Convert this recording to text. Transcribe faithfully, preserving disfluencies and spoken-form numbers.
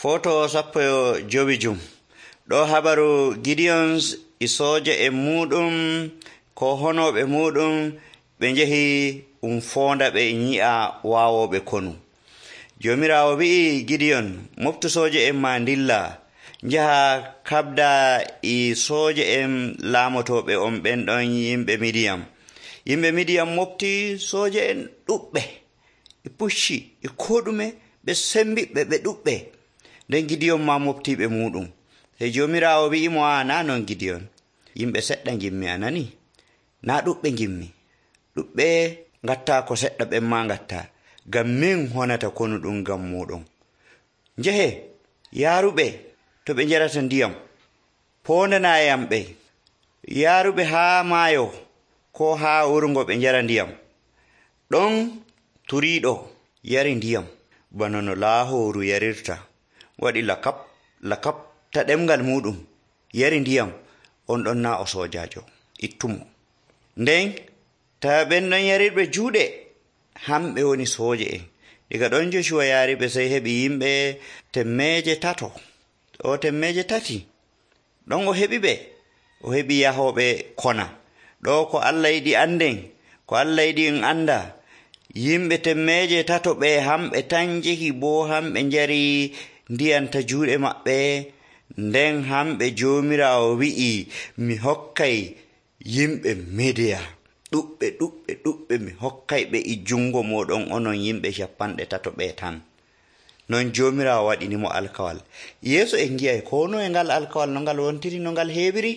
Foto sappo e jowijum. Ɗo habaru Gideons e soja e muɗum ko honoɓe muɗum ɓe njehi um fonda ɓe nyi'a waawoɓe konu. Jomirawo wi'i Gideon, moftu soja en ma dilla njaha kabda e soja en laamotoɓe on ɓen ɗon yimɓe Midiyam. Yimɓe Midiyam mofti soja en ɗuɓɓe e pucci e koɗume ɓe sembiɓɓe ɓe ɗuɓɓe. Nden Gideon ma moftiɓe muɗum. Sai jomirawo wi'i mo, a na non Gideon, yimɓe seɗɗa gimmi a nani, na ɗuɓɓe gimmi. Ɗuɓɓe ngatta ko seɗɗa ɓen ma ngatta, ngam min honata konu ɗum ngam muɗum. Njehe yaaruɓe to ɓe njarata ndiyam, pondanayam ɓe, yaaruɓe haa maayo ko haa wurgo ɓe njara ndiyam. Ɗon turiiɗo yari ndiyam bana no laahooru yarirta, waɗi lakab lakab ta ɗemgal muɗum, yari ndiyam, on ɗon na o sojajo, ittumo. Nden ta ɓen ɗon yarirɓe juuɗe, hamɓe woni soje en. Diga ɗon Joshua yaariɓe sey heɓi yimɓe temmeje tato, o temmeje tati. Ɗon o heɓi ɓe, o heɓi yahoɓe kona. Ɗo ko Allah yiɗi anden, ko Allah yiɗi en anda. Yimɓe temmeje tato ɓe hamɓe tan jehi bo hamɓe njari ndiyam ta juuɗe maɓɓe. Nden hamɓe jomirawo wi'i, mi hokkay yimɓe Midiya ɗuɓɓe ɗuɓɓe ɗuɓɓe, mi hokkay ɓe e jungo moɗon onon yimɓe capanɗe tato ɓe tan. Non jomirawo waɗinimo alkawal. Yeeso en gi'ay ko no e ngal alkawal no ngal wontiri, no ngal heɓiri.